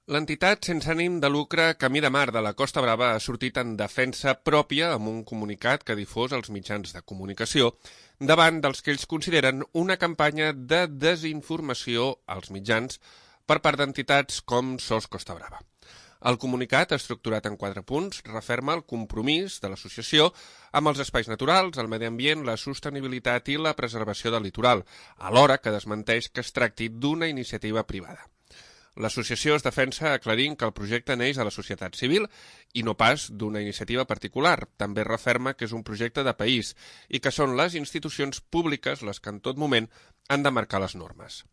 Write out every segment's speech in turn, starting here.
L'entitat sense ànim de lucre Camí de Mar de la Costa Brava ha sortit en defensa pròpia amb un comunicat que ha difós als mitjans de comunicació davant dels que ells consideren una campanya de desinformació als mitjans per part d'entitats com SOS Costa Brava. El comunicat, estructurat en 4 punts, referma el compromís de l'associació amb els espais naturals, el medi ambient, la sostenibilitat i la preservació del litoral, alhora que desmenteix que es tracti d'una iniciativa privada. L'associació es defensa aclarint que el projecte neix a la societat civil i no pas d'una iniciativa particular. També referma que és un projecte de país i que són les institucions públiques les que en tot moment han de marcar les normes.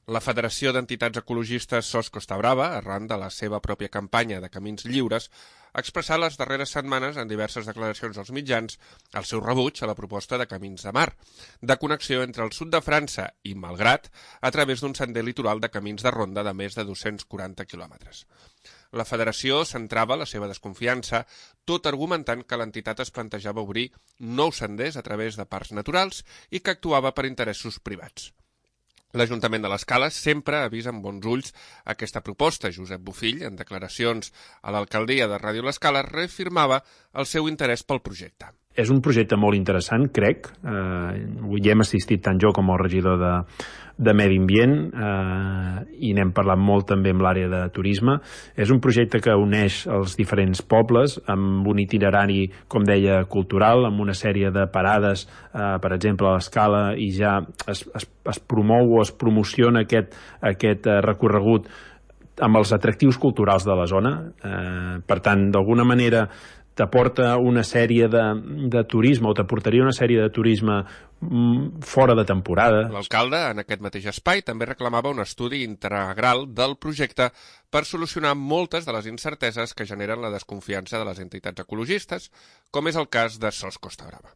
La Federació d'Entitats Ecologistes SOS Costa Brava, arran de la seva pròpia campanya de Camins Lliures, ha expressat les darreres setmanes en diverses declaracions als mitjans el seu rebuig a la proposta de Camins de Mar, de connexió entre el sud de França i Malgrat a través d'un sender litoral de camins de ronda de més de 240 quilòmetres. La federació centrava la seva desconfiança tot argumentant que l'entitat es plantejava obrir nous senders a través de parcs naturals i que actuava per interessos privats. L'Ajuntament de l'Escala sempre ha vist amb bons ulls aquesta proposta. Josep Bofill, en declaracions a l'alcaldia de Ràdio l'Escala, reafirmava el seu interès pel projecte. És un projecte molt interessant, crec. Hi hem assistit tant jo com el regidor de Medi Ambient i n'hem parlat molt també amb l'àrea de turisme. És un projecte que uneix els diferents pobles amb un itinerari, com deia, cultural, amb una sèrie de parades, per exemple, a l'Escala, i ja es promou o es promociona aquest recorregut amb els atractius culturals de la zona. Per tant, d'alguna manera t'aporta una sèrie de turisme o t'aportaria una sèrie de turisme fora de temporada. L'alcalde, en aquest mateix espai, també reclamava un estudi integral del projecte per solucionar moltes de les incerteses que generen la desconfiança de les entitats ecologistes, com és el cas de SOS Costa Brava.